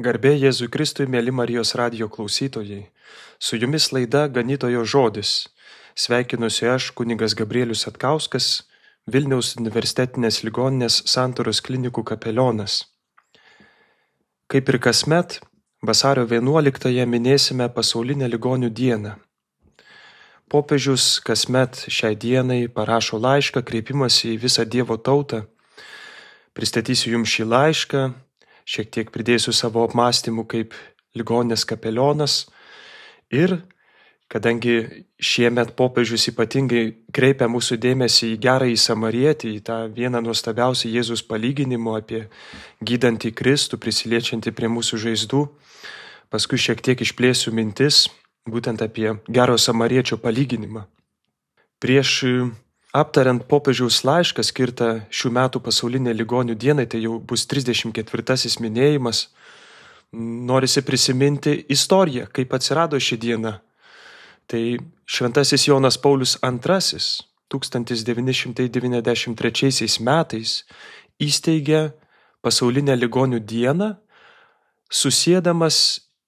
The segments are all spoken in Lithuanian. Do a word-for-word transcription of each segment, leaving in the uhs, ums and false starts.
Garbė Jėzui Kristui, mėly Marijos radijo klausytojai. Su jumis laida Ganytojo žodis. Sveikinuosi aš, kunigas Gabrielius Atkauskas, Vilniaus universitetinės ligoninės Santaros klinikų kapelionas. Kaip ir kasmet, vasario vienuoliktąją minėsime pasaulinę ligonių dieną. Popiežius kasmet šiai dienai parašo laišką, kreipimąsi į visą Dievo tautą. Pristatysiu jums šį laišką, šiek tiek pridėsiu savo apmąstymų kaip ligoninės kapelionas ir kadangi šiemet popiežius ypatingai kreipia mūsų dėmesį į gerąjį samarietį, į tą vieną nuostabiausią Jėzus palyginimo apie gydantį Kristų, prisiliečiantį prie mūsų žaizdų, paskui šiek tiek išplėsiu mintis būtent apie gero samariečio palyginimą. Prieš aptariant popiežiaus laišką skirtą šių metų pasaulinė ligonių dienai, tai jau bus trisdešimt ketvirtasis minėjimas, norisi prisiminti istoriją, kaip atsirado ši diena. Tai šventasis Jonas Paulius antrasis tūkstantis devyni šimtai devyniasdešimt trečiaisiais metais įsteigė pasaulinę ligonių dieną, susiedamas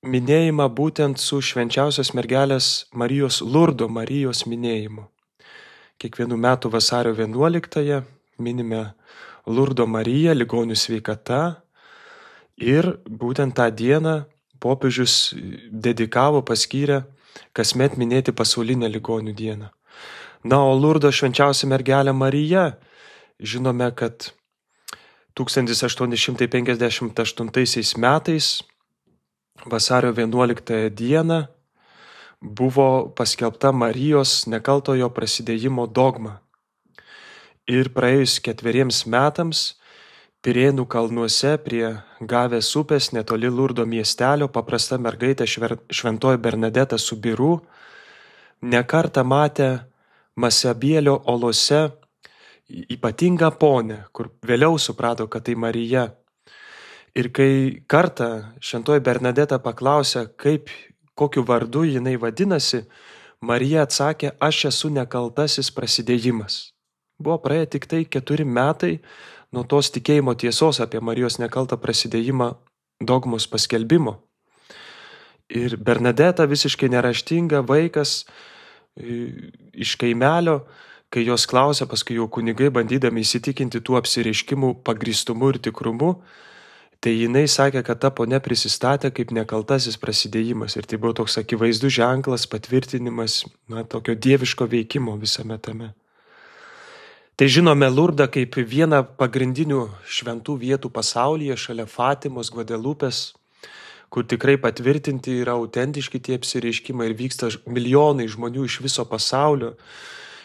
minėjimą būtent su švenčiausios mergelės Marijos Lurdo Marijos minėjimu. Kiekvienų metų vasario vienuoliktąją minime Lurdo Mariją, ligonių sveikata, ir būtent tą dieną popiežius dedikavo, paskyrė kasmet minėti pasaulinę ligonių dieną. Na, o Lurdo švenčiausia mergelė Marija, žinome, kad tūkstantis aštuoni šimtai penkiasdešimt aštuntaisiais metais vasario vienuoliktąją dieną buvo paskelbta Marijos nekaltojo prasidėjimo dogma. Ir praėjus ketveriems metams Pirėnų kalnuose prie Gavės upės netoli Lurdo miestelio paprasta mergaitė šventoji Bernadeta Subiru nekartą matė Masabielio olose ypatingą ponę, kur vėliau suprato, kad tai Marija. Ir kai kartą šventoji Bernadeta paklausė, kaip, kokiu vardu jinai vadinasi, Marija atsakė, aš esu nekaltasis prasidėjimas. Buvo praėję tik tai keturi metai nuo tos tikėjimo tiesos apie Marijos nekaltą prasidėjimą dogmos paskelbimo. Ir Bernadeta, visiškai neraštinga vaikas iš kaimelio, kai jos klausė, paskui jau kunigai bandydami įsitikinti tų apsireiškimų pagrįstumu ir tikrumu, tai jinai sakė, kad ta ponia prisistatė kaip nekaltasis prasidėjimas. Ir tai buvo toks akivaizdus ženklas, patvirtinimas, na, tokio dieviško veikimo visame tame. Tai žinome Lurdą kaip vieną pagrindinių šventų vietų pasaulyje, šalia Fatimos, Gvadelupės, kur tikrai patvirtinti yra autentiški tie apsireiškimai ir vyksta milijonai žmonių iš viso pasaulio.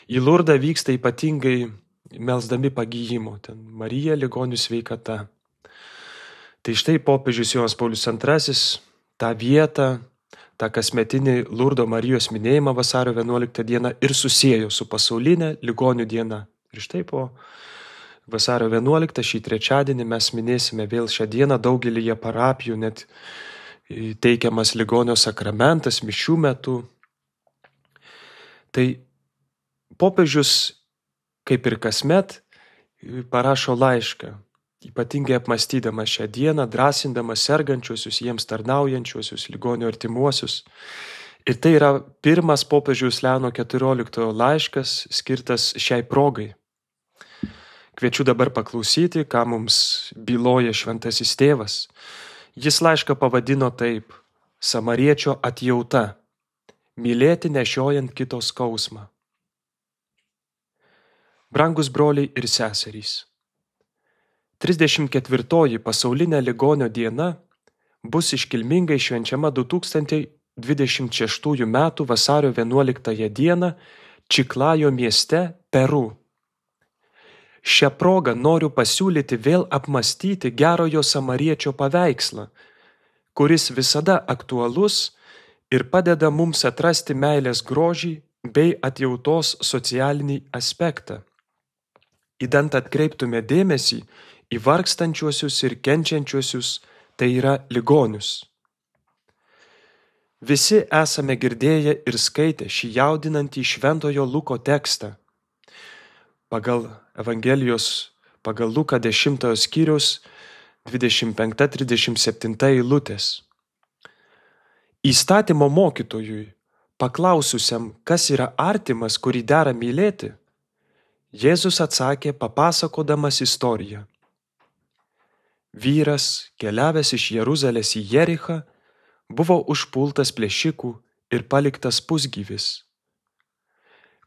Į Lurdą vyksta ypatingai melsdami pagyjimo, ten Marija, ligonių sveikata. Tai štai popiežius Jonas Paulius antrasis tą vietą, tą kasmetinį Lurdo Marijos minėjimą vasario vienuoliktą dieną ir susiejo su pasaulinė ligonių diena. Ir štai po vasario vienuoliktą šį trečiadienį mes minėsime vėl šią dieną daugelyje parapijų, net teikiamas ligonio sakramentas mišių metu. Tai popiežius, kaip ir kasmet, parašo laišką, ypatingai apmąstydamas šią dieną, drąsindamas sergančiuosius, jiems tarnaujančiuosius, ligonio artimuosius. Ir tai yra pirmas popiežiaus Leono keturioliktojo laiškas skirtas šiai progai. Kviečiu dabar paklausyti, ką mums byloja šventasis tėvas. Jis laišką pavadino taip: Samariečio atjauta, mylėti nešiojant kito skausmą. Brangus broliai ir seserys, trisdešimt ketvirtoji pasaulinė ligonio diena bus iškilmingai švenčiama du tūkstančiai dvidešimt šeštųjų metų vasario vienuoliktąją dieną Čiklajo mieste, Peru. Šią progą noriu pasiūlyti vėl apmąstyti gerojo samariečio paveikslą, kuris visada aktualus ir padeda mums atrasti meilės grožį bei atjautos socialinį aspektą. Idant atkreiptume dėmesį į vargstančiuosius ir kenčiančiuosius, tai yra ligonius. Visi esame girdėję ir skaitę šį jaudinantį šventojo Luko tekstą. Pagal Evangelijos, pagal Luką dešimtojo skyriaus dvidešimt penki trisdešimt septyni eilutės. Įstatymo mokytojui, paklaususiam, kas yra artimas, kurį dera mylėti, Jėzus atsakė, papasakodamas istoriją. Vyras, keliavęs iš Jeruzalės į Jerichą, buvo užpultas plėšikų ir paliktas pusgyvis.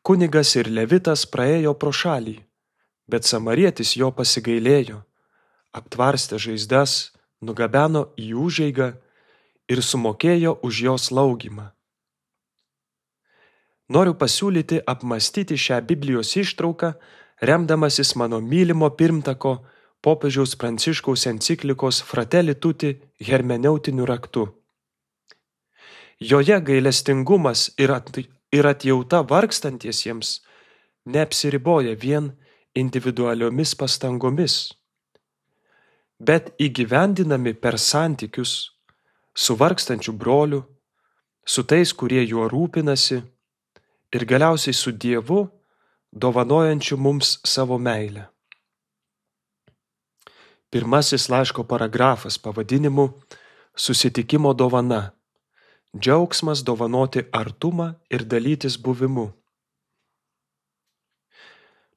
Kunigas ir levitas praėjo pro šalį, bet samarietis jo pasigailėjo, aptvarstė žaizdas, nugabeno į užeigą ir sumokėjo už jo slaugymą. Noriu pasiūlyti apmąstyti šią Biblijos ištrauką, remdamasis mano mylimo pirmtako popiežiaus Pranciškaus enciklikos Fratelli Tutti hermeneutiniu raktu. Joje gailestingumas ir, at, ir atjauta vargstantiesiems neapsiriboja vien individualiomis pastangomis, bet įgyvendinami per santykius su vargstančiu broliu, su tais, kurie juo rūpinasi, ir galiausiai su Dievu, dovanojančiu mums savo meilę. Pirmasis laiško paragrafas pavadinimu Susitikimo dovana. Džiaugsmas dovanoti artumą ir dalytis buvimu.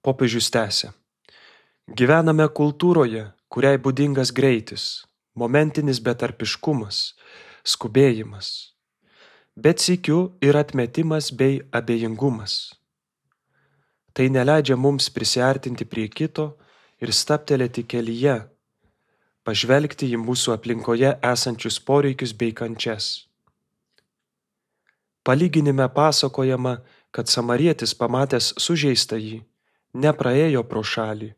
Popiežius tęsia. Gyvename kultūroje, kuriai būdingas greitis, momentinis betarpiškumas, skubėjimas, bet sykiu ir atmetimas bei abejingumas. Tai neleidžia mums prisiartinti prie kito ir stabtelėti kelyje, pažvelgti į mūsų aplinkoje esančius poreikius bei kančias. Palyginime pasakojama, kad samarietis pamatęs sužeistąjį, nepraėjo pro šalį,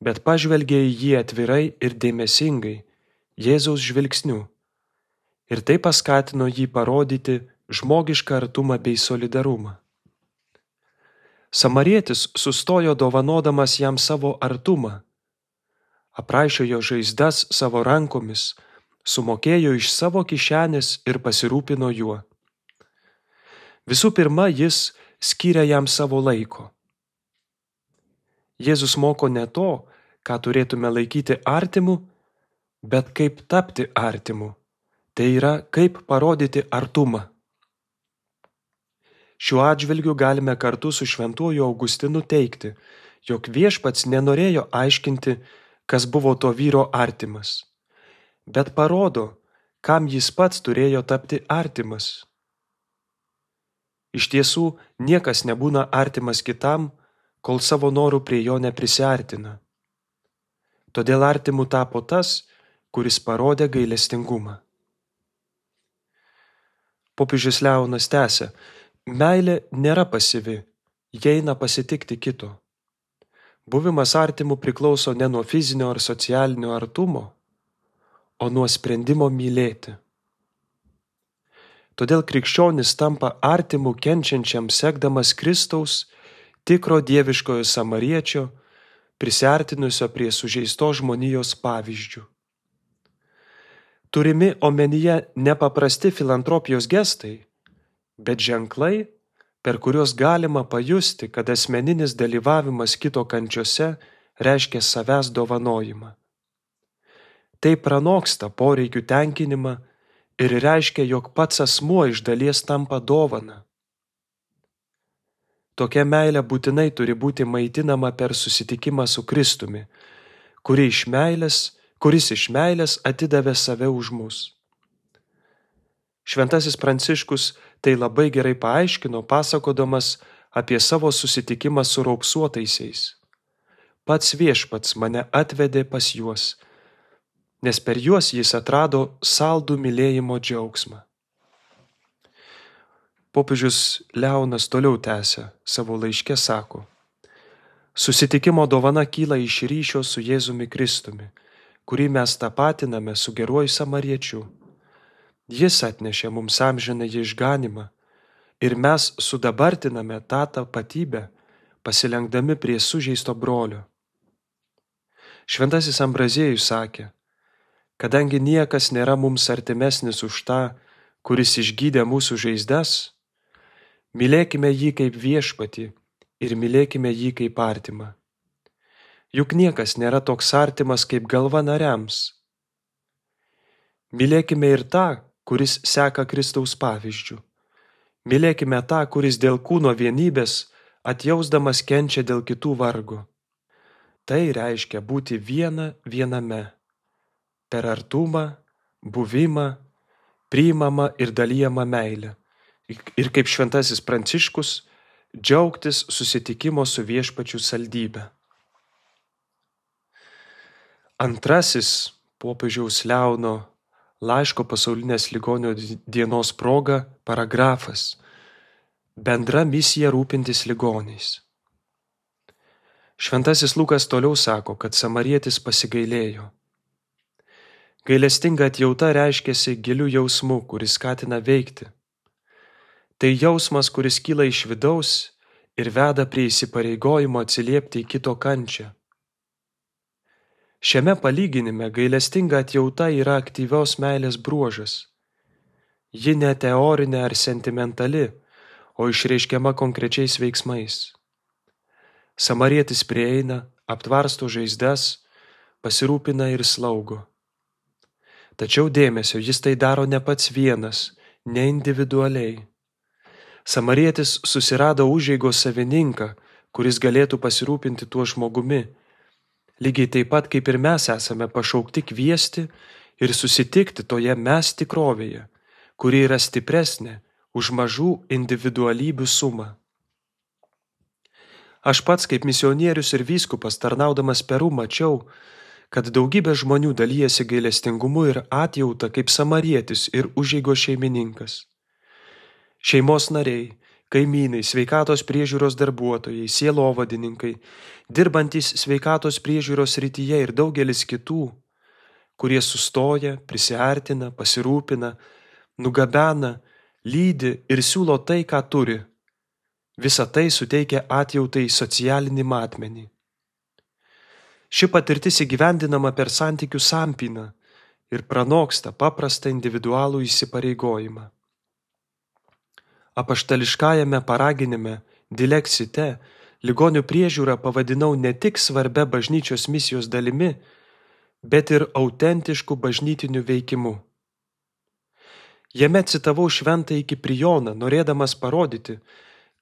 bet pažvelgė į jį atvirai ir dėmesingai, Jėzaus žvilgsniu, ir tai paskatino jį parodyti žmogišką artumą bei solidarumą. Samarietis sustojo dovanodamas jam savo artumą, apraišė jo žaizdas savo rankomis, sumokėjo iš savo kišenės ir pasirūpino juo. Visų pirma, jis skyrė jam savo laiko. Jėzus moko ne to, ką turėtume laikyti artimu, bet kaip tapti artimu, tai yra kaip parodyti artumą. Šiuo atžvilgiu galime kartu su šventuoju Augustinu teigti, jog viešpats nenorėjo aiškinti, kas buvo to vyro artimas, bet parodo, kam jis pats turėjo tapti artimas. Iš tiesų, niekas nebūna artimas kitam, kol savo norų prie jo neprisiartina. Todėl artimu tapo tas, kuris parodė gailestingumą. Popiežius Leonas tęsia, meilė nėra pasyvi, ji eina pasitikti kito. Buvimas artimu priklauso ne nuo fizinio ar socialinio artumo, o nuo sprendimo mylėti. Todėl krikščionis tampa artimu kenčiančiam sekdamas Kristaus, tikro dieviškojo samariečio, prisiartinusio prie sužeistos žmonijos pavyzdžių. Turimi omenyje nepaprasti filantropijos gestai, bet ženklai, per kuriuos galima pajusti, kad asmeninis dalyvavimas kito kančiose reiškia savęs dovanojimą. Tai pranoksta poreikių tenkinimą ir reiškia, jog pats asmuo iš dalies tampa dovana. Tokia meilė būtinai turi būti maitinama per susitikimą su Kristumi, kuri iš meilės, kuris iš meilės atidavė save už mus. Šventasis Pranciškus tai labai gerai paaiškino, pasakodamas apie savo susitikimą su raupsuotaisiais. Pats viešpats mane atvedė pas juos, nes per juos jis atrado saldų mylėjimo džiaugsmą. Popiežius Leonas toliau tęsia savo laiške, sako, susitikimo dovana kyla iš ryšio su Jėzumi Kristumi, kurį mes tapatiname su geruoju samariečiu. Jis atnešė mums amžiną išganymą ir mes sudabartiname tą tapatybę, pasilenkdami prie sužeisto brolio. Šventasis Ambraziejus sakė, kadangi niekas nėra mums artimesnis už tą, kuris išgydė mūsų žaizdas, mylėkime jį kaip viešpatį ir mylėkime jį kaip artimą. Juk niekas nėra toks artimas kaip galva nariams, Mylėkime ir tą, kuris seka Kristaus pavyzdžiu. Mylėkime tą, kuris dėl kūno vienybės atjausdamas kenčia dėl kitų vargo. Tai reiškia būti viena viename, per artumą, buvimą, priimamą ir dalijamą meilę. Ir kaip šventasis Pranciškus, džiaugtis susitikimo su Viešpačiu saldybę. Antrasis popiežiaus Leono laiško pasaulinės ligonių dienos proga paragrafas – bendra misija rūpintis ligoniais. Šventasis Lukas toliau sako, kad samarietis pasigailėjo. Gailestinga atjauta reiškiasi giliu jausmu, kuris skatina veikti. Tai jausmas, kuris kyla iš vidaus ir veda prie įsipareigojimo atsiliepti į kito kančią. Šiame palyginime gailestinga atjauta yra aktyvios meilės bruožas. Ji ne teorinė ar sentimentali, o išreiškiama konkrečiais veiksmais. Samarietis prieina, aptvarsto žaizdas, pasirūpina ir slaugo. Tačiau dėmesio, jis tai daro ne pats vienas, ne individualiai. Samarietis susirado užeigos savininką, kuris galėtų pasirūpinti tuo žmogumi. Lygiai taip pat, kaip ir mes esame pašaukti kviesti ir susitikti toje mes tikrovėje, kuri yra stipresnė už mažų individualybių sumą. Aš pats kaip misionierius ir vyskupas tarnaudamas Peru mačiau, kad daugybė žmonių dalyjasi gailestingumu ir atjauta kaip samarietis ir užeigos šeimininkas. Šeimos nariai, kaimynai, sveikatos priežiūros darbuotojai, sielovadininkai, dirbantys sveikatos priežiūros srityje ir daugelis kitų, kurie sustoja, prisiartina, pasirūpina, nugabena, lydi ir siūlo tai, ką turi. Visa tai suteikia atjautai socialinį matmenį. Ši patirtis įgyvendinama per santykių sampyną ir pranoksta paprastą individualų įsipareigojimą. Apaštališkajame paraginime Dilexite ligonių priežiūrą pavadinau ne tik svarbia bažnyčios misijos dalimi, bet ir autentišku bažnytiniu veikimu. Jame citavau šventąjį Kiprijoną, norėdamas parodyti,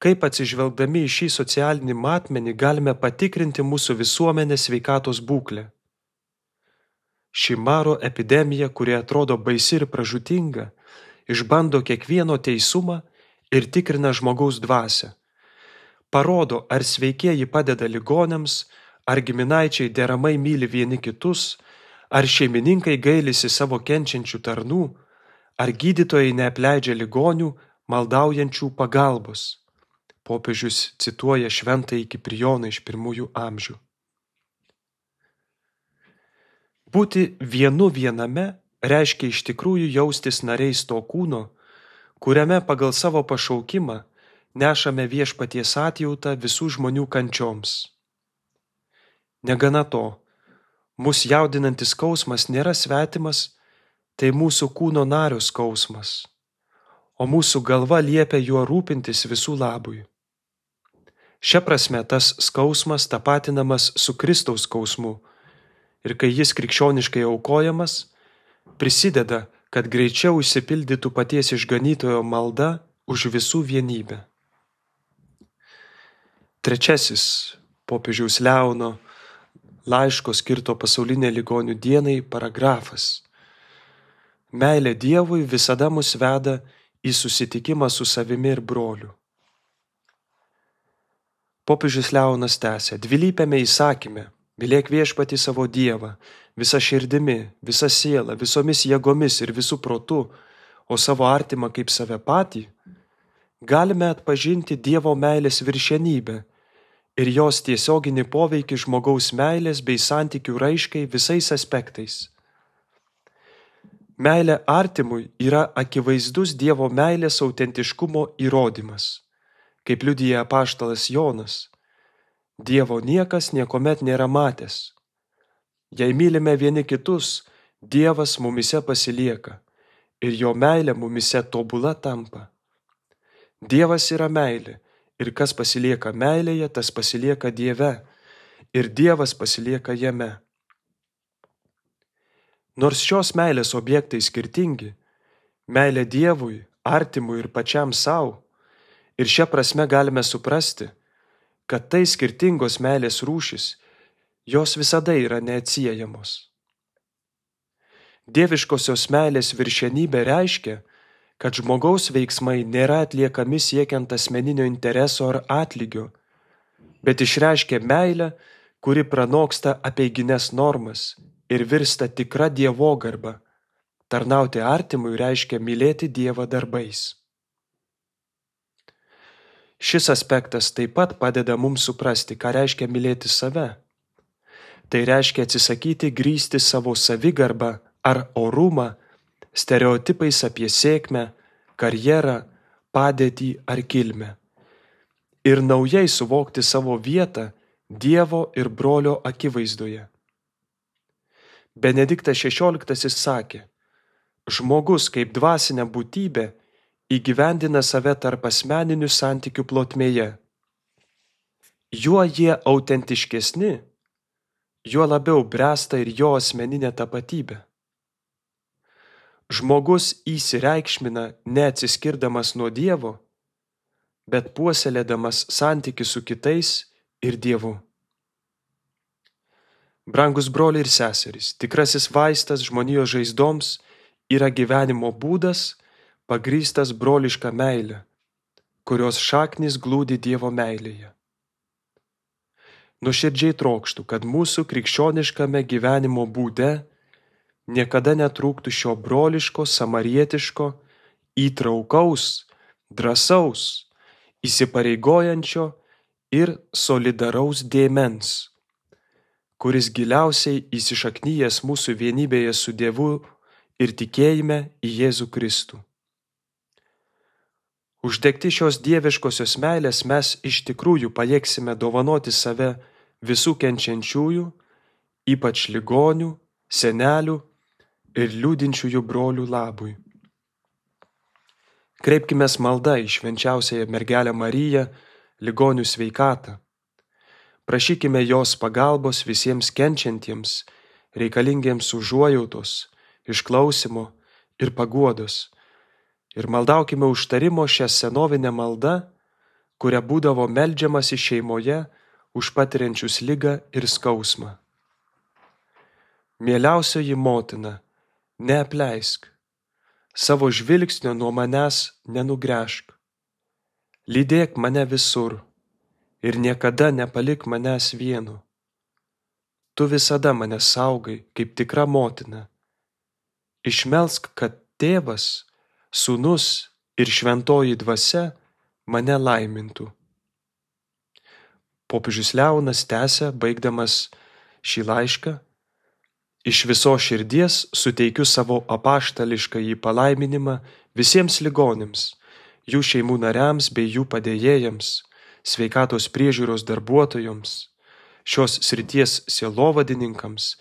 kaip atsižvelgdami į šį socialinį matmenį galime patikrinti mūsų visuomenės sveikatos būklę. Ši maro epidemija, kuri atrodo baisi ir pražūtinga, išbando kiekvieno teisumą ir tikrina žmogaus dvasią. Parodo, ar sveikieji padeda ligoniams, ar giminaičiai deramai myli vieni kitus, ar šeimininkai gailisi savo kenčiančių tarnų, ar gydytojai neapleidžia ligonių, maldaujančių pagalbos. Popiežius cituoja šventąjį Kiprijoną iš pirmųjų amžių. Būti vienu viename reiškia iš tikrųjų jaustis nariais to kūno, kuriame pagal savo pašaukimą nešame viešpaties atjautą visų žmonių kančioms. Negana to, mus jaudinantis skausmas nėra svetimas, tai mūsų kūno nario skausmas, o mūsų galva liepia juo rūpintis visų labui. Šia prasme tas skausmas tapatinamas su Kristaus skausmu ir kai jis krikščioniškai aukojamas, prisideda, kad greičiau išsipildytų paties išganytojo malda už visų vienybę. Trečiasis popiežiaus Leono laiško skirto pasaulinė ligonių dienai paragrafas. Meilė Dievui visada mus veda į susitikimą su savimi ir broliu. Popiežius Leonas tęsia, dvilypiame įsakyme, mylėk viešpatį savo Dievą, visa širdimi, visa siela, visomis jėgomis ir visų protu, o savo artimą kaip save patį, galime atpažinti Dievo meilės viršenybę ir jos tiesioginį poveikį žmogaus meilės bei santykių raiškai visais aspektais. Meilė artimui yra akivaizdus Dievo meilės autentiškumo įrodymas. Kaip liudija apaštalas Jonas, Dievo niekas niekuomet nėra matęs. Jei mylime vieni kitus, Dievas mumise pasilieka ir jo meilė mumise tobula tampa. Dievas yra meilė ir kas pasilieka meilėje, tas pasilieka Dieve ir Dievas pasilieka jame. Nors šios meilės objektai skirtingi – meilė Dievui, artimui ir pačiam savo, ir šia prasme galime suprasti, kad tai skirtingos meilės rūšis, jos visada yra neatsiejamos. Dieviškosios meilės viršenybė reiškia, kad žmogaus veiksmai nėra atliekami siekiant asmeninio intereso ar atlygio, bet išreiškia meilę, kuri pranoksta apeigines normas ir virsta tikra dievogarba. Tarnauti artimui reiškia mylėti Dievą darbais. Šis aspektas taip pat padeda mums suprasti, ką reiškia mylėti save. Tai reiškia atsisakyti grįsti savo savigarbą ar orumą stereotipais apie sėkmę, karjerą, padėtį ar kilmę ir naujai suvokti savo vietą Dievo ir brolio akivaizdoje. Benediktas šešioliktasis sakė, žmogus kaip dvasinė būtybė įgyvendina save tarp asmeninių santykių plotmėje. Juo jie autentiškesni, juo labiau bręsta ir jo asmeninė tapatybė. Žmogus įsireikšmina neatsiskirdamas nuo Dievo, bet puoselėdamas santykį su kitais ir Dievu. Brangus broliai ir seserys, tikrasis vaistas žmonijos žaizdoms yra gyvenimo būdas, pagrįstas broliška meile, kurios šaknys glūdi Dievo meilėje. Nuoširdžiai trokštu, kad mūsų krikščioniškame gyvenimo būde niekada netrūktų šio broliško, samarietiško, įtraukaus, drąsaus, įsipareigojančio ir solidaraus dėmens, kuris giliausiai įsišaknyjęs mūsų vienybėje su Dievu ir tikėjime į Jėzų Kristų. Uždegti šios dieviškosios meilės mes iš tikrųjų pajėgsime dovanoti save visų kenčiančiųjų, ypač ligonių, senelių ir liūdinčiųjų brolių labui. Kreipkimės malda į švenčiausiąją mergelę Mariją, ligonių sveikatą. Prašykime jos pagalbos visiems kenčiantiems, reikalingiems užuojautos, išklausimo ir paguodos. Ir maldaukime užtarimo šią senovinę maldą, kuria būdavo meldžiamasi šeimoje už patiriančius ligą ir skausmą. Mieliausioji motina, neapleisk, savo žvilgsnio nuo manęs nenugręžk. Lydėk mane visur ir niekada nepalik manęs vieno. Tu visada mane saugai kaip tikra motina. Išmelsk, kad tėvas, Sūnus ir šventoji dvasia mane laimintų. Popiežius Leonas tęsia, baigdamas šį laišką, iš visos širdies suteikiu savo apaštališkąjį palaiminimą visiems ligoniams, jų šeimų nariams bei jų padėjėjams, sveikatos priežiūros darbuotojams, šios srities sielovadininkams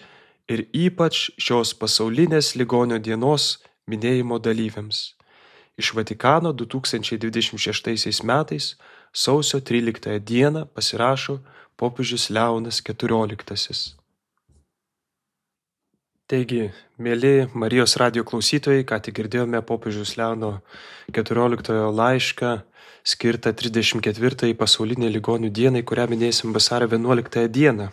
ir ypač šios pasaulinės ligonio dienos minėjimo dalyviams. Iš Vatikano du tūkstančiai dvidešimt šeštaisiais metais sausio tryliktąją dieną pasirašo popiežius Leonas keturioliktasis. Taigi, mieli Marijos radijo klausytojai, ką tik girdėjome popiežiaus Leono keturioliktojo laišką skirtą trisdešimt ketvirtajai pasaulinei ligonių dienai, kurią minėsim vasario vienuoliktąją dieną.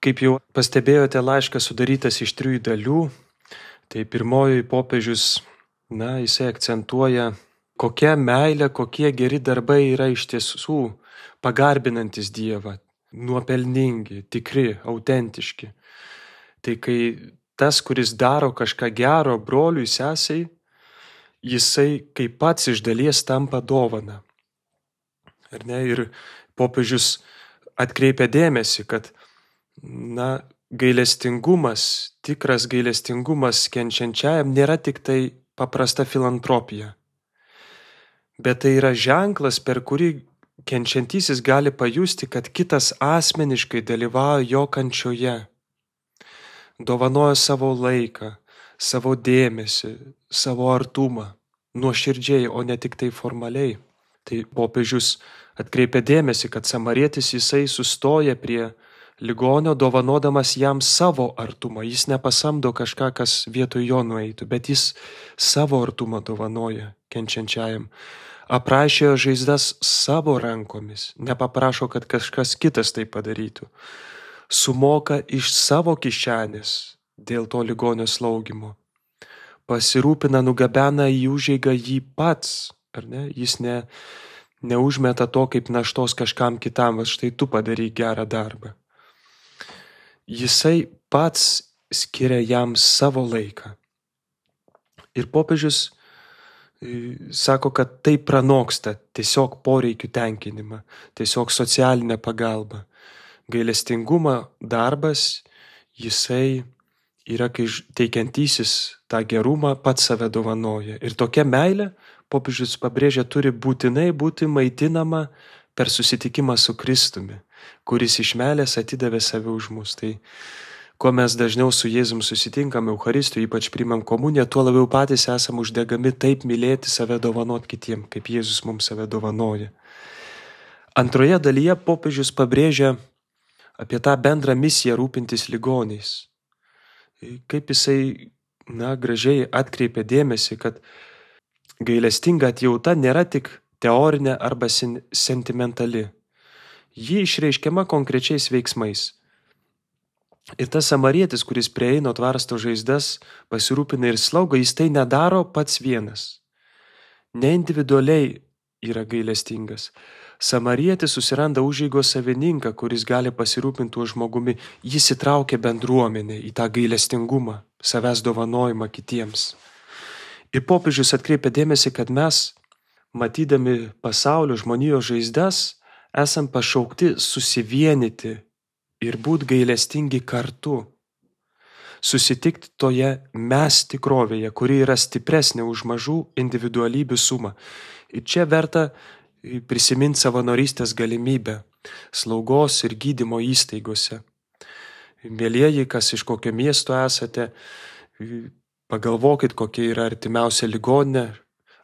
Kaip jau pastebėjote, laiškas sudarytas iš trijų dalių. Tai pirmoji popiežius, na, jisai akcentuoja, kokia meilė, kokie geri darbai yra iš tiesų pagarbinantis Dievą, nuopelningi, tikri, autentiški. Tai kai tas, kuris daro kažką gero broliui, sesei, jisai kaip pats iš dalies tampa dovana. Ar ne? Ir popiežius atkreipia dėmesį, kad, na, gailestingumas, tikras gailestingumas kenčiančiajam nėra tik tai paprasta filantropija, bet tai yra ženklas, per kurį kenčiantysis gali pajusti, kad kitas asmeniškai dalyvauja jo kančioje, dovanoja savo laiką, savo dėmesį, savo artumą, nuoširdžiai, o ne tik tai formaliai. Tai popiežius atkreipia dėmesį, kad samarietis jisai sustoja prie ligonio, dovanodamas jam savo artumą. Jis nepasamdo kažką, kas vietoj jo nueitų, bet jis savo artumą dovanoja kenčiančiajam. Aprašė žaizdas savo rankomis, nepaprašo, kad kažkas kitas tai padarytų. Sumoka iš savo kišenės dėl to ligonio slaugimo. Pasirūpina, nugabena į užeigą jį pats, ar ne? Jis ne, neužmeta to kaip naštos kažkam kitam, va štai tu padaryk gerą darbą. Jisai pats skiria jam savo laiką. Ir popiežius sako, kad tai pranoksta tiesiog poreikių tenkinimą, tiesiog socialinę pagalbą. Gailestingumo darbas, jisai yra, kai teikiantysis tą gerumą pats save dovanoja. Ir tokia meilė, popiežius pabrėžia, turi būtinai būti maitinama per susitikimą su Kristumi, kuris iš meilės atidavė save už mus. Tai kuo mes dažniau su Jėzum susitinkame Eucharistijoje, ypač priimam komuniją, tuo labiau patys esam uždegami taip mylėti save, dovanot kitiem, kaip Jėzus mums save dovanoja. Antroje dalyje popiežius pabrėžia apie tą bendrą misiją rūpintis ligoniais. Kaip jisai, na, gražiai atkreipia dėmesį, kad gailestinga atjauta nėra tik teorinė arba sentimentali. Ji išreiškiama konkrečiais veiksmais. Ir tas samarietis, kuris prieina, tvarsto žaizdas, pasirūpina ir slaugo, jis tai nedaro pats vienas. Ne individualiai yra gailestingas. Samarietis susiranda užeigos savininką, kuris gali pasirūpinti tuo žmogumi. Jis įtraukia bendruomenę į tą gailestingumą, savęs dovanojimą kitiems. Ir popiežius atkreipia dėmesį, kad mes, matydami pasaulio žmonijos žaizdas, esam pašaukti susivienyti ir būti gailestingi kartu. Susitikti toje mes tikrovėje, kuri yra stipresnė už mažų individualybių sumą. Ir čia verta prisiminti savanorystės galimybę slaugos ir gydymo įstaigose. Mielieji, kas iš kokio miesto esate, pagalvokit, kokia yra artimiausia ligoninė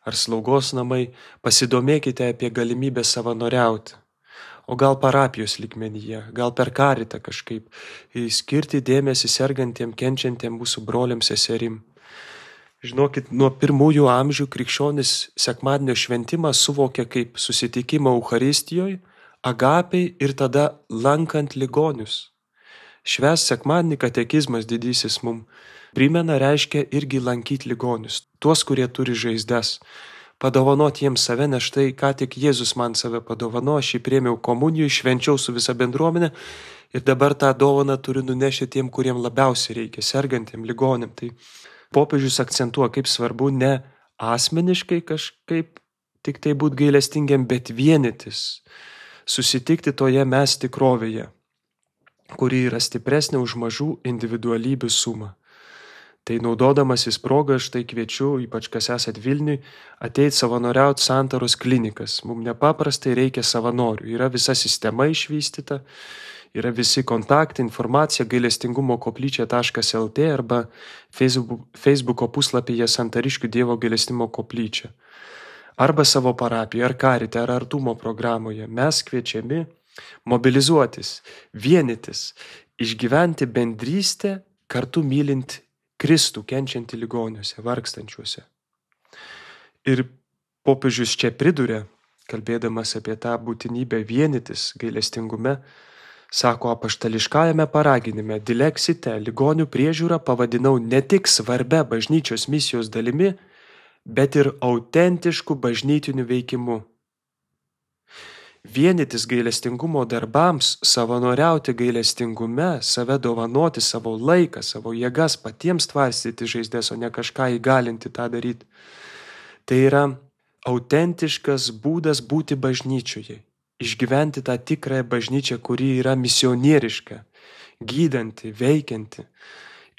ar slaugos namai, pasidomėkite apie galimybę savanoriauti. O gal parapijos lygmenyje, gal per karitą kažkaip, skirti dėmesį sergantiem, kenčiantiem mūsų broliams, seserim. Žinokit, nuo pirmųjų amžių krikščionis sekmadienio šventimą suvokia kaip susitikimą Eucharistijoje, agapiai ir tada lankant ligonius. Švęst sekmadienį katekizmas didysis mum primena, reiškia irgi lankyti ligonius, tuos, kurie turi žaizdas. Padovanoti jiems save, nes štai ką tik Jėzus man save padovano, aš jį priėmiau komunijų, švenčiau su visa bendruomenė ir dabar tą dovaną turiu nunešti tiem, kuriem labiausiai reikia, sergantiem, ligonėm. Tai popiežius akcentuoja, kaip svarbu ne asmeniškai kažkaip tik tai būti gailestingiam, bet vienytis, susitikti toje mes tikrovėje, kuri yra stipresnė už mažų individualybių sumą. Tai naudodamasis progą, aš tai kviečiu, ypač kas esat Vilniui, ateit savanoriauti Santaros klinikas. Mums nepaprastai reikia savanorių. Yra visa sistema išvystyta, yra visi kontaktai, informacija gailestingumo koplyčia taškas el tė arba Facebooko puslapyje Santariškių Dievo gailestingumo koplyčia. Arba savo parapijoje, ar karite, ar artumo programoje. Mes kviečiami mobilizuotis, vienytis, išgyventi bendrystę, kartu mylint Kristų kenčiantį ligoniuose, vargstančiuose. Ir popiežius čia priduria, kalbėdamas apie tą būtinybę vienytis gailestingume, sako apaštališkajame paraginime, dileksite, ligonių priežiūrą pavadinau ne tik svarbia bažnyčios misijos dalimi, bet ir autentišku bažnytiniu veikimu. Vienytis gailestingumo darbams, savanoriauti gailestingume, save dovanoti, savo laiką, savo jėgas, patiems tvarstyti žaizdes, o ne kažką įgalinti tą daryti. Tai yra autentiškas būdas būti bažnyčioje, išgyventi tą tikrąją bažnyčią, kuri yra misionieriška, gydanti, veikianti.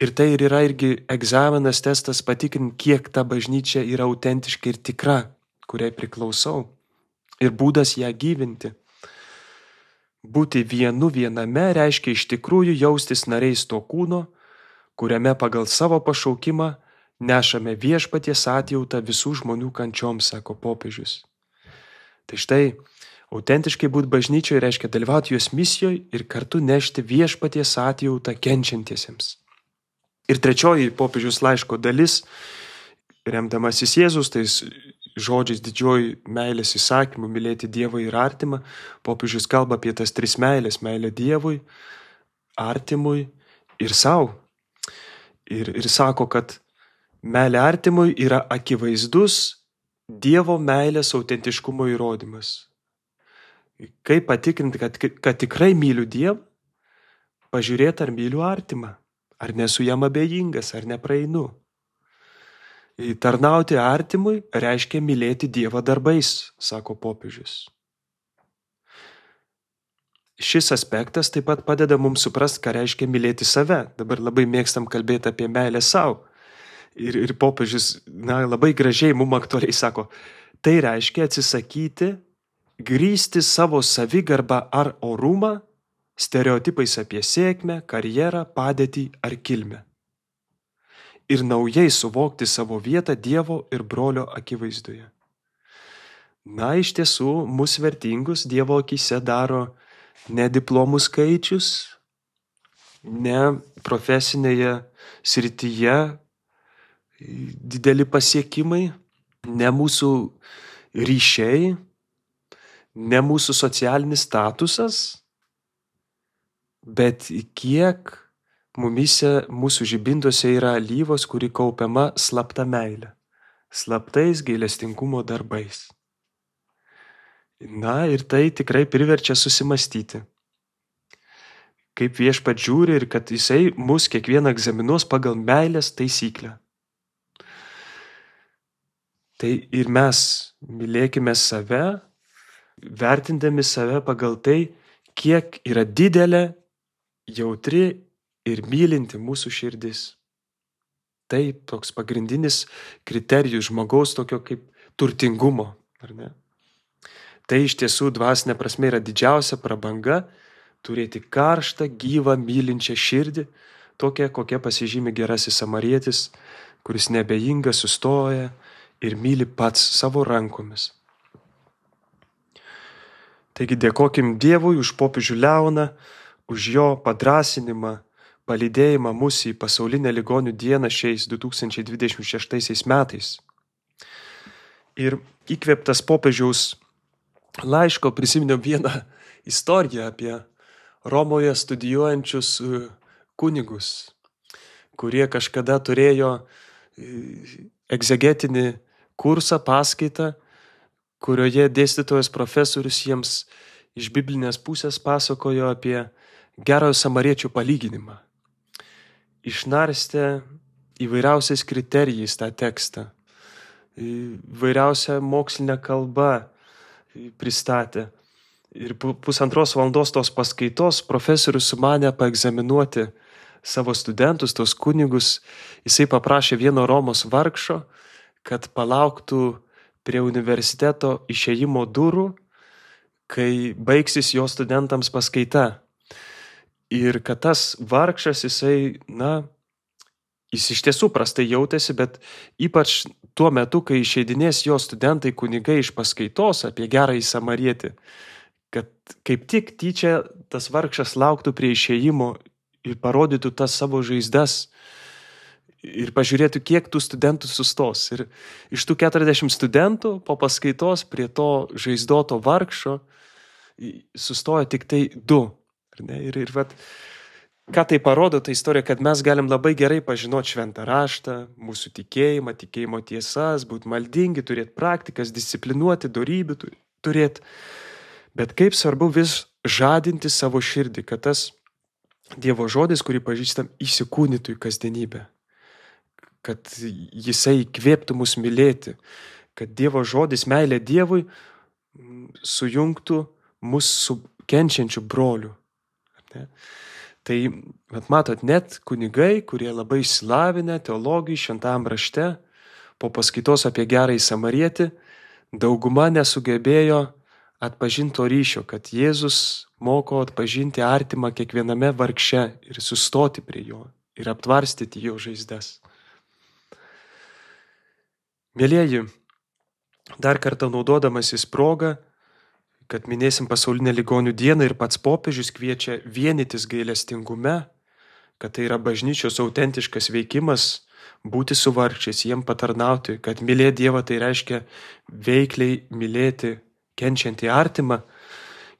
Ir tai ir yra irgi egzaminas, testas patikrinti, kiek ta bažnyčia yra autentiška ir tikra, kuriai priklausau. Ir būdas ją gyvinti. Būti vienu viename reiškia iš tikrųjų jaustis nariais to kūno, kuriame pagal savo pašaukimą nešame viešpaties atjautą visų žmonių kančioms, sako popiežius. Tai štai Autentiškai būti bažnyčioje reiškia dalyvauti jos misijoje ir kartu nešti viešpaties atjautą kenčiantiesiems. Ir trečioji popiežiaus laiško dalis, remdamasis Jėzus, tais žodžiais didžioji meilės įsakymų mylėti Dievą ir artimą, popiežius kalba apie tas tris meilės - meilę Dievui, artimui ir savo. Ir, ir sako, kad meilė artimui yra akivaizdus Dievo meilės autentiškumo įrodymas. Kaip patikrinti, kad, kad tikrai myliu Dievą? Pažiūrėti, ar myliu artimą, ar nesu jam abejingas, ar nepraeinu. Tarnauti artimui reiškia mylėti Dievą darbais, sako popiežius. Šis aspektas taip pat padeda mums suprasti, ką reiškia mylėti save. Dabar labai mėgstam kalbėti apie meilę savo. Ir, ir popiežius na, labai gražiai mums aktualiai sako, tai reiškia atsisakyti grįsti savo savigarbą ar orumą stereotipais apie sėkmę, karjerą, padėtį ar kilmę. Ir naujai suvokti savo vietą Dievo ir brolio akivaizdoje. Na, iš tiesų, mus vertingus Dievo akyse daro ne diplomų skaičius, ne profesinėje srityje dideli pasiekimai, ne mūsų ryšiai, ne mūsų socialinis statusas, bet kiek mumise, mūsų žibintuose yra alyvos, kuri kaupiama slapta meilė, slaptais gailestingumo darbais. Na ir tai tikrai priverčia susimastyti, kaip viešpat žiūri ir kad jisai mus kiekvieną egzaminuos pagal meilės taisyklę. Tai ir mes mylėkime save, vertindami save pagal tai, kiek yra didelė, jautri ir mylinti mūsų širdis. Tai toks pagrindinis kriterijus žmogaus tokio kaip turtingumo, ar ne? Tai iš tiesų dvasinė prasme yra didžiausia prabanga turėti karštą, gyvą, mylinčią širdį, tokią, kokia pasižymi gerasis samarietis, kuris neabejingas sustoja ir myli pats savo rankomis. Taigi dėkokim Dievui už popiežių Leoną, už jo padrasinimą, palydėjimą mūsų į pasaulinę ligonių dieną šiais du tūkstančiai dvidešimt šeštaisiais metais. Ir įkvėptas popiežiaus laiško prisiminiau vieną istoriją apie Romoje studijuojančius kunigus, kurie kažkada turėjo egzegetinį kursą, paskaitą, kurioje dėstytojas profesorius jiems iš biblinės pusės pasakojo apie gerojo samariečio palyginimą. Išnarstė įvairiausiais kriterijais tą tekstą, įvairiausią mokslinę kalbą pristatė. Ir pusantros valandos tos paskaitos profesorius sumanė paegzaminuoti savo studentus, tos kunigus. Jisai paprašė vieno Romos vargšo, kad palauktų prie universiteto išėjimo durų, kai baigsis jo studentams paskaita. Ir kad tas vargšas, jisai, na, jis iš tiesų prastai jautėsi, bet ypač tuo metu, kai išeidinės jo studentai kunigai iš paskaitos apie gerąjį samarietį, kad kaip tik tyčia tas vargšas lauktų prie išėjimo ir parodytų tas savo žaizdas ir pažiūrėtų, kiek tų studentų sustos. Ir iš tų keturiasdešimt studentų po paskaitos prie to žaizdoto vargšo sustojo tik tai du. Ar ne? Ir, ir vat, ką tai parodo, ta istorija, kad mes galim labai gerai pažinoti šventą raštą, mūsų tikėjimą, tikėjimo tiesas, būti maldingi, turėti praktikas, disciplinuoti, dorybių turėti. Bet kaip svarbu vis žadinti savo širdį, kad tas Dievo žodis, kurį pažįstam, įsikūnytų į kasdienybę. Kad jisai įkvėptų mus mylėti. Kad Dievo žodis, meilė Dievui, sujungtų mus su kenčiančiu broliu. Ne? Tai, mat, matot, net kunigai, kurie labai išsilavinę teologijai, šventam rašte, po paskaitos apie gerąjį samarietį, dauguma nesugebėjo atpažinto ryšio, kad Jėzus moko atpažinti artimą kiekviename vargše ir sustoti prie jo ir aptvarstyti jo žaizdas. Mielieji, dar kartą naudodamasis progą, kad minėsim pasaulinę ligonių dieną ir pats popiežius kviečia vienytis gailestingume, kad tai yra bažnyčios autentiškas veikimas, būti su vargšiais, jiem patarnauti, kad mylėti Dievą tai reiškia veikliai mylėti kenčiantį artimą.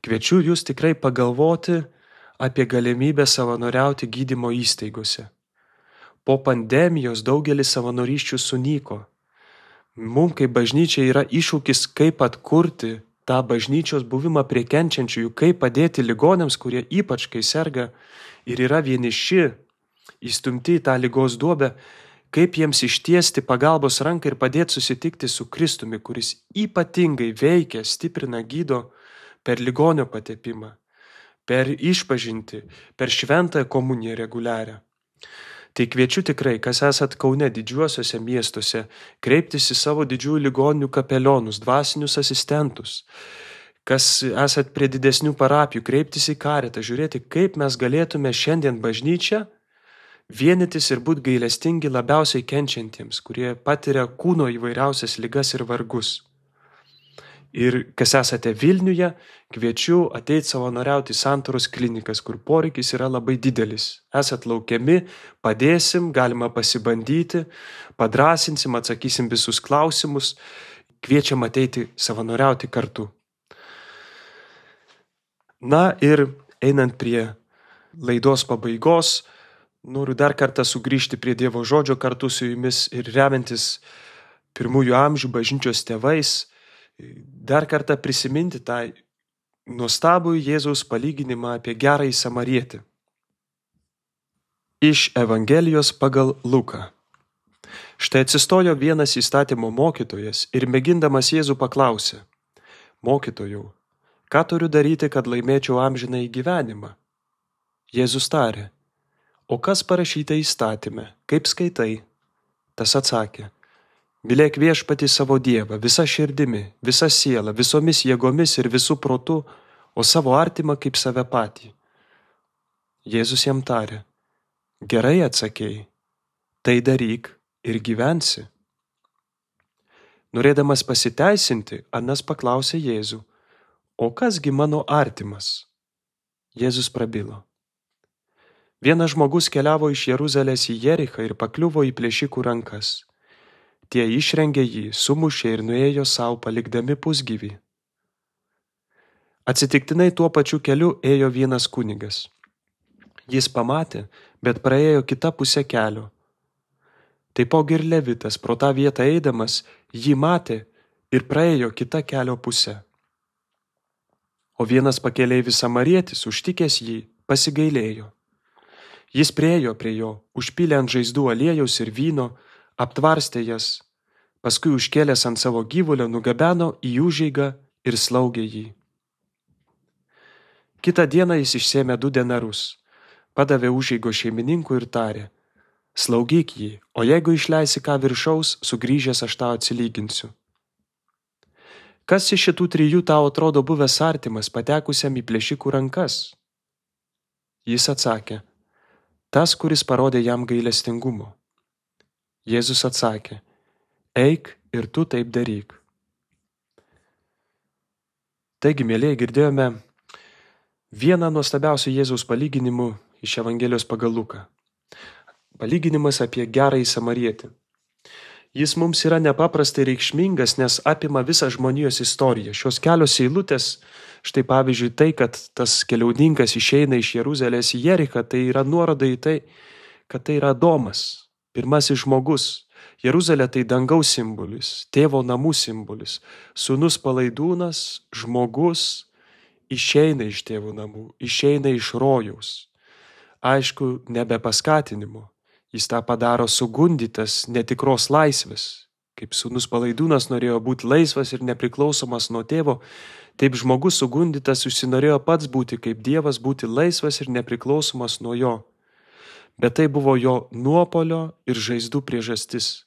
Kviečiu jūs tikrai pagalvoti apie galimybę savanoriauti gydymo įstaigose. Po pandemijos daugelis savanorysčių sunyko. Mums kaip bažnyčia yra iššūkis, kaip atkurti tą bažnyčios buvimą prie kenčiančiųjų, kaip padėti ligoniams, kurie ypač kai serga ir yra vieniši, įstumti į tą ligos duobę, kaip jiems ištiesti pagalbos ranką ir padėti susitikti su Kristumi, kuris ypatingai veikia, stiprina, gydo per ligonio patepimą, per išpažintį, per šventąją komuniją reguliarią. Tai kviečiu tikrai, kas esat Kaune didžiuosiuose miestuose, kreiptis į savo didžiųjų ligoninių kapelionus, dvasinius asistentus, kas esat prie didesnių parapijų, kreiptis į karitą, žiūrėti, kaip mes galėtume šiandien bažnyčią vienytis ir būti gailestingi labiausiai kenčiantiems, kurie patiria kūno įvairiausias ligas ir vargus. Ir kas esate Vilniuje, kviečiu ateiti savanoriauti į Santaros klinikas, kur poreikis yra labai didelis. Esat laukiami, padėsim, galima pasibandyti, padrasinsim, atsakysim visus klausimus, kviečiam ateiti savanoriauti kartu. Na ir einant prie laidos pabaigos, noriu dar kartą sugrįžti prie Dievo žodžio kartu su jumis ir remiantis pirmųjų amžių bažnyčios tėvais, dar kartą prisiminti tą nuostabų Jėzaus palyginimą apie gerąjį samarietį. Iš Evangelijos pagal Luką. Štai atsistojo vienas įstatymo mokytojas ir mėgindamas Jėzų paklausė: Mokytojau, ką turiu daryti, kad laimėčiau amžinąjį gyvenimą? Jėzus tarė: O kas parašyta įstatyme, kaip skaitai? Tas atsakė: Mylėk viešpatį savo Dievą visa širdimi, visa siela, visomis jėgomis ir visų protu, o savo artimą kaip save patį. Jėzus jam tarė: Gerai atsakei, tai daryk ir gyvensi. Norėdamas pasiteisinti, Anas paklausė Jėzų: O kasgi mano artimas? Jėzus prabilo: Vienas žmogus keliavo iš Jeruzalės į Jerichą ir pakliuvo į plėšikų rankas. Tie išrengė jį, sumušė ir nuėjo savo palikdami pusgyvį. Atsitiktinai tuo pačiu keliu ėjo vienas kunigas. Jis pamatė, bet praėjo kitą pusę kelio. Taipogi ir Levitas pro tą vietą eidamas jį matė ir praėjo kitą kelio pusę. O vienas pakeleivis samarietis, užtikęs jį, pasigailėjo. Jis priėjo prie jo, užpylė ant žaizdų aliejaus ir vyno, aptvarstė jas, paskui užkėlęs ant savo gyvulio nugabeno į užeigą ir slaugė jį. Kitą dieną jis išsėmė du denarus, padavė užeigos šeimininkui ir tarė: Slaugyk jį, o jeigu išleisi ką viršaus, sugrįžęs aš tau atsilyginsiu. Kas iš šitų trijų tau atrodo buvęs artimas patekusiam į plėšikų rankas? Jis atsakė: Tas, kuris parodė jam gailestingumo. Jėzus atsakė: Eik ir tu taip daryk. Taigi, mėlyje, girdėjome vieną nuostabiausių Jėzaus palyginimų iš Evangelijos pagal Luką. Palyginimas apie gerąjį samarietį. Jis mums yra nepaprastai reikšmingas, nes apima visą žmonijos istoriją. Šios kelios eilutės, štai pavyzdžiui tai, kad tas keliauninkas išeina iš Jeruzalės į Jerichą, tai yra nuoroda į tai, kad tai yra Adomas, pirmasis žmogus. Jeruzalė tai dangaus simbolis, tėvo namų simbolis. Sūnus palaidūnas, žmogus, išeina iš tėvo namų, išeina iš rojaus. Aišku, nebe paskatinimo. Jis tą padaro sugundytas netikros laisvės. Kaip sūnus palaidūnas norėjo būti laisvas ir nepriklausomas nuo tėvo, taip žmogus sugundytas užsinorėjo pats būti kaip Dievas, būti laisvas ir nepriklausomas nuo jo. Bet tai buvo jo nuopolio ir žaizdų priežastis.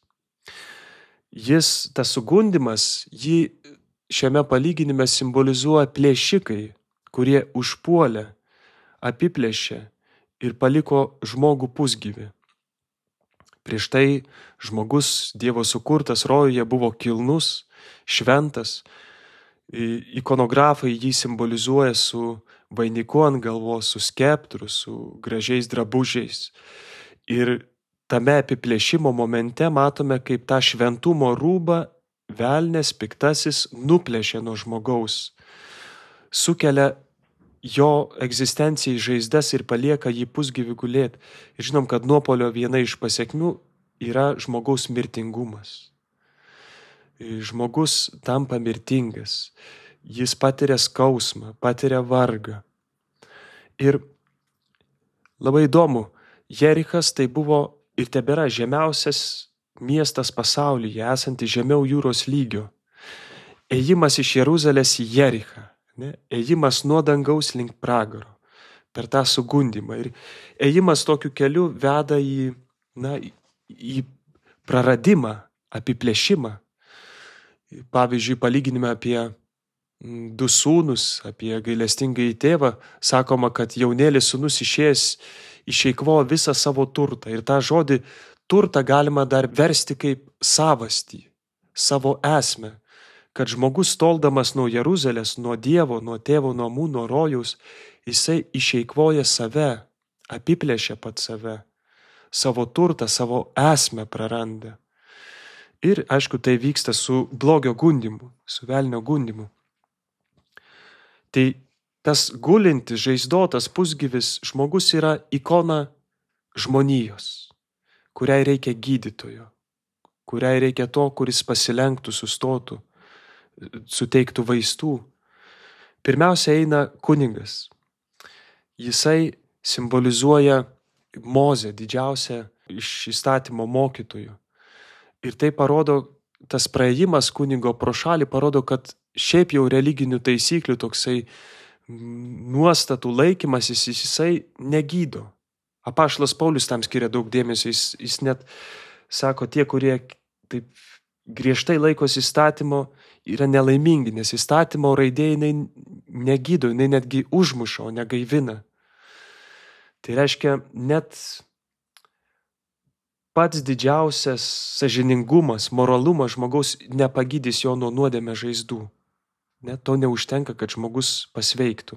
Jis, tas sugundymas, jį šiame palyginime simbolizuoja plėšikai, kurie užpuolė, apiplėšė ir paliko žmogų pusgyvį. Prieš tai žmogus Dievo sukurtas rojuje buvo kilnus, šventas Ikonografai jį simbolizuoja su vainiku ant galvos, su skeptru, su gražiais drabužiais. Ir tame apiplėšimo momente matome, kaip tą šventumo rūbą velnės piktasis nuplėšė nuo žmogaus, sukelia jo egzistencijai žaizdas ir palieka jį pusgyvį gulėti. Ir žinom, kad nuopuolio viena iš pasekmių yra žmogaus mirtingumas. Žmogus tampa mirtingas, jis patiria skausmą, patiria vargą. Ir labai įdomu, Jerichas tai buvo ir tebėra žemiausias miestas pasaulyje, esantis žemiau jūros lygio. Ėjimas iš Jeruzalės į Jerichą, ne? Ėjimas nuo dangaus link pragaro, per tą sugundymą. Ir ėjimas tokiu keliu veda į, na, į praradimą, apiplėšimą. Pavyzdžiui, palyginime apie du sūnus, apie gailestingąjį tėvą, sakoma, kad jaunėlis sūnus išėjęs išeikvojo visą savo turtą. Ir tą žodį turtą galima dar versti kaip savastį, savo esmę. Kad žmogus toldamas nuo Jeruzalės, nuo Dievo, nuo tėvo namų, nuo rojaus, jisai išeikvoja save, apiplėšia pat save, savo turtą, savo esmę praranda. Ir, aišku, tai vyksta su blogio gundymu, su velnio gundymu. Tai tas gulintis, žaizdotas, pusgyvis žmogus yra ikona žmonijos, kuriai reikia gydytojo, kuriai reikia to, kuris pasilenktų, sustotų, suteiktų vaistų. Pirmiausia eina kunigas. Jisai simbolizuoja Mozę, didžiausią iš įstatymo mokytojų. Ir tai parodo, tas praėjimas kunigo pro šalį parodo, kad šiaip jau religinių taisyklių toksai nuostatų laikymasis jisai negydo. Apaštalas Paulius tam skiria daug dėmesio, jis, jis net sako, tie, kurie taip griežtai laikosi įstatymo, yra nelaimingi, nes įstatymo raidė jinai negydo, jinai netgi užmuša, o negaivina. Tai reiškia, net pats didžiausias sąžiningumas, moralumas žmogaus nepagydys jo nuo nuodėmės žaizdų. Net to neužtenka, kad žmogus pasveiktų.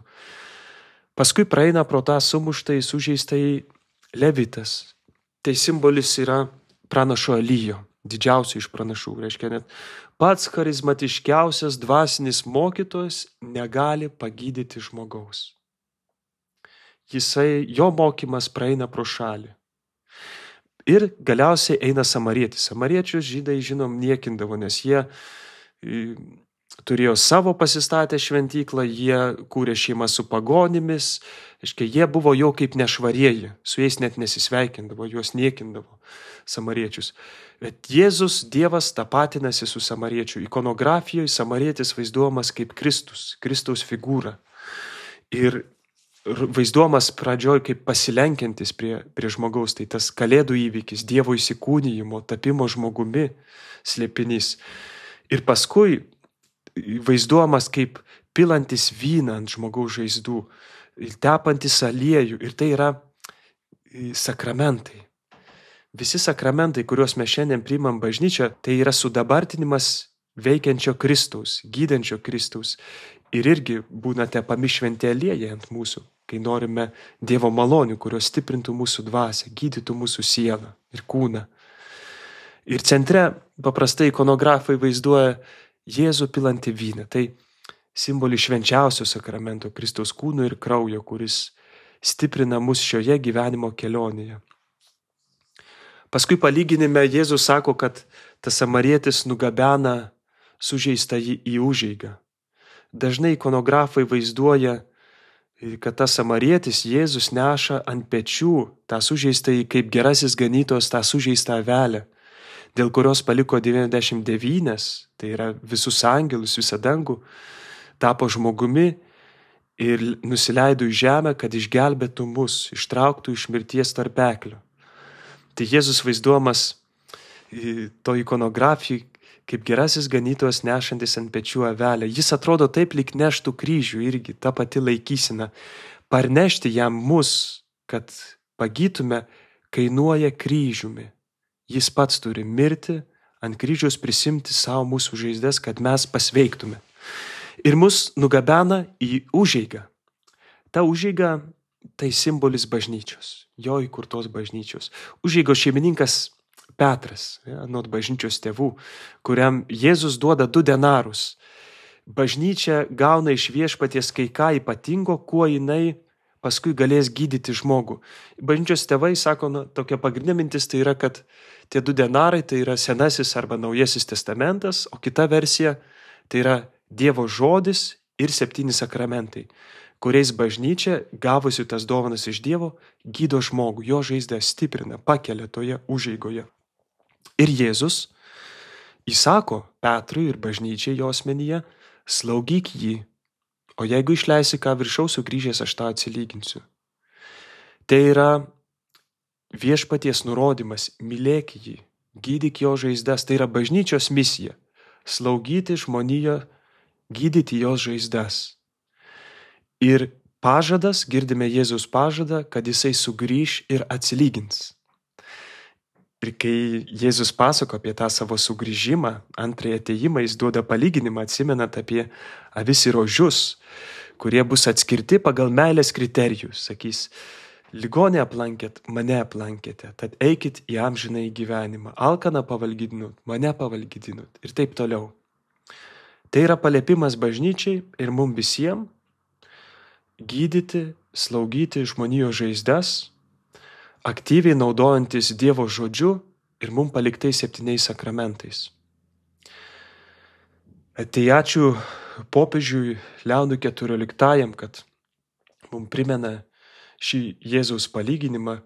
Paskui praeina pro tą sumuštąjį, sužeistąjį Levitas. Tai simbolis yra pranašo Elijo, didžiausio iš pranašų. Reiškia, net pats charizmatiškiausias dvasinis mokytojas negali pagydyti žmogaus. Jisai, jo mokymas praeina pro šalį. Ir galiausiai eina samarietis. Samariečius žydai, žinom, niekindavo, nes jie turėjo savo pasistatę šventyklą, jie kūrė šeimą su pagonimis, aiškiai, jie buvo jau kaip nešvarieji, su jais net nesisveikindavo, juos niekindavo samariečius. Bet Jėzus, Dievas, tapatinasi su samariečiu. Ikonografijoje samarietis vaizduojamas kaip Kristus, Kristaus figūra. Ir vaizduojamas pradžioj kaip pasilenkiantis prie, prie žmogaus, tai tas kalėdų įvykis, Dievo įsikūnijimo, tapimo žmogumi slėpinys. Ir paskui vaizduojamas kaip pilantis vyną ant žmogaus žaizdų, tepantis aliejų, ir tai yra sakramentai. Visi sakramentai, kuriuos mes šiandien priimam bažnyčią, tai yra sudabartinimas veikiančio Kristaus, gydančio Kristaus. Ir irgi būna tepami šventi aliejai ant mūsų, kai norime Dievo malonių, kurios stiprintų mūsų dvasią, gydytų mūsų sielą ir kūną. Ir centre paprastai ikonografai vaizduoja Jėzų pilantį vyną. Tai simbolis švenčiausio sakramento, Kristaus kūno ir kraujo, kuris stiprina mus šioje gyvenimo kelionėje. Paskui palyginime Jėzus sako, kad tas samarietis nugabena sužeistąjį į užeigą. Dažnai ikonografai vaizduoja, kad tas samarietis Jėzus neša ant pečių tą sužeistąjį kaip gerasis ganytojas tą sužeistą avelę, dėl kurios paliko devyniasdešimt devynias, tai yra visus angelus, visą dangų, tapo žmogumi ir nusileido į žemę, kad išgelbėtų mus, ištrauktų iš mirties tarpeklio. Tai Jėzus vaizduojamas to ikonografijai kaip gerasis ganytojas nešantis ant pečių avelę. Jis atrodo taip, lyg neštų kryžių irgi, ta pati laikysena. Parnešti jam mus, kad pagytume, kainuoja kryžiumi. Jis pats turi mirti, ant kryžiaus prisimti savo mūsų žaizdas, kad mes pasveiktume. ir mus nugabena į užeigą. Ta užeiga tai simbolis bažnyčios, jo įkurtos bažnyčios. Užeigos šeimininkas Petras, ja, anot bažnyčios tėvų, kuriam Jėzus duoda du denarus. Bažnyčia gauna iš viešpaties kai ką ypatingo, kuo jinai paskui galės gydyti žmogų. Bažnyčios tėvai sako, na, tokia pagrindinė mintis tai yra, kad tie du denarai tai yra Senasis arba Naujasis testamentas, o kita versija tai yra Dievo žodis ir septyni sakramentai, kuriais bažnyčia, gavusi tas dovanas iš Dievo, gydo žmogų, jo žaizdą stiprina, pakelia toje užeigoje. Ir Jėzus įsako Petrui ir bažnyčiai jo asmenyje, slaugyk jį, o jeigu išleisi ką viršaus sugrįžęs, aš tą atsilyginsiu. Tai yra viešpaties nurodymas, mylėk jį, gydyk jo žaizdas, tai yra bažnyčios misija, slaugyti žmoniją, gydyti jos žaizdas. Ir pažadas, girdime Jėzaus pažadą, kad jisai sugrįš ir atsilygins. Ir kai Jėzus pasako apie tą savo sugrįžimą, antrąjį atėjimą, jis duoda palyginimą, atsimenat apie avis ir ožius, kurie bus atskirti pagal meilės kriterijus. Sakys, ligonę aplankėt, mane aplankėte, tad eikit į amžinąjį gyvenimą. Alkaną pavalgydinot, mane pavalgydinot ir taip toliau. Tai yra paliepimas bažnyčiai ir mums visiems gydyti, slaugyti žmonijos žaizdas, aktyviai naudojantis Dievo žodžiu ir mums paliktais septyniais sakramentais. Tai ačiū popiežiui Leonui keturioliktajam, kad mums primena šį Jėzaus palyginimą,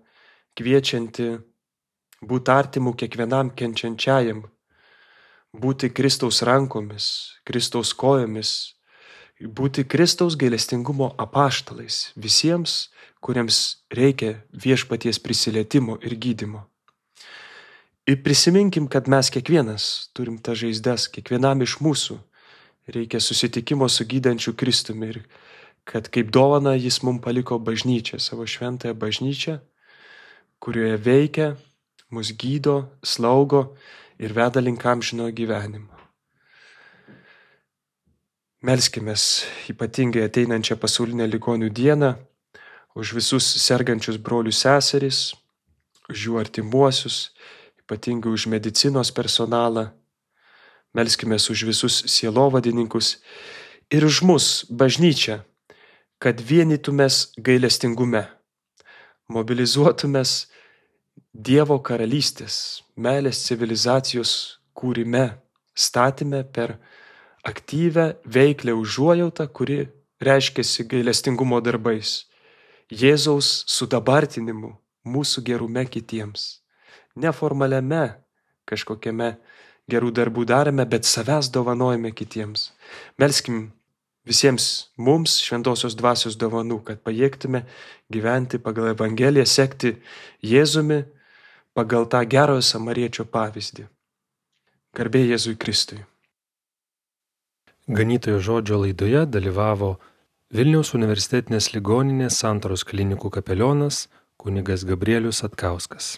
kviečianti būti artimu kiekvienam kenčiančiajam, būti Kristaus rankomis, Kristaus kojomis, būti Kristaus gailestingumo apaštalais visiems, kuriems reikia viešpaties prisilietimo ir gydymo. Ir prisiminkim, kad mes kiekvienas turim tą žaizdas, kiekvienam iš mūsų reikia susitikimo su gydančiu Kristumi ir kad kaip dovana jis mums paliko bažnyčią, savo šventąją bažnyčią, kurioje veikia, mus gydo, slaugo ir veda link amžinojo gyvenimo. Melskimės ypatingai ateinančią pasaulinę ligonių dieną, už visus sergančius brolius seseris, už jų artimuosius, ypatingai už medicinos personalą. Melskimės už visus sielovadininkus ir už mus, bažnyčią, kad vienytumės gailestingume, mobilizuotumės Dievo karalystės, meilės civilizacijos kūrime, statyme per aktyvę, veiklę užuojautą, kuri reiškiasi gailestingumo darbais, Jėzaus sudabartinimu, mūsų gerume kitiems. Neformaliame kažkokiame gerų darbų darome, bet savęs dovanojame kitiems. Melskim visiems mums šventosios dvasios dovanų, kad pajėgtume gyventi pagal Evangeliją, sekti Jėzumi pagal tą gerojo samariečio pavyzdį. Garbė Jėzui Kristui. Ganytojo žodžio laidoje dalyvavo Vilniaus universitetinės ligoninės Santaros klinikų kapelionas kunigas Gabrielius Satkauskas.